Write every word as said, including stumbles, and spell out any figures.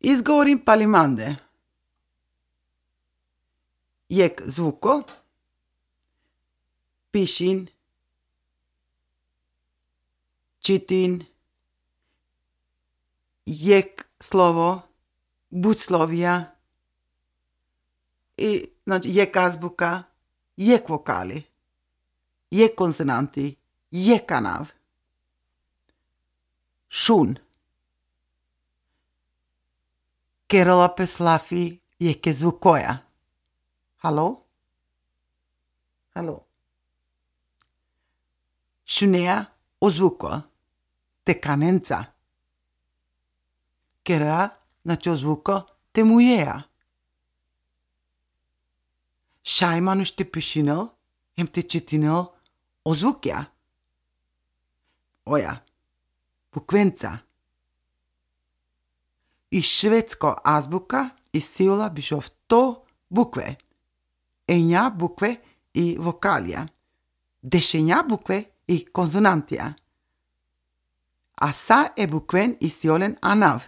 Izgovorim palimande. Jek zvuko. Pišin. Čitin. Jek slovo. Buclovija. I, znači, jek azbuka. Jek vokali. Jek konsonanti. Jek kanav. Šun. Kerala peslafi jeke zvukoja. Halo? Halo? Šunea ozvuko. Tekanenca. Kera, znači ozvuko, temujeja. Šajmanu šte pišinel, hem te čitinel ozvukja. Oja. Bukvenca. I švedsko azbuka i sila bišov to bukve. Enja bukve i vokalija. Dešenja bukve i konsonantija. A sa e bukven i siolen anav.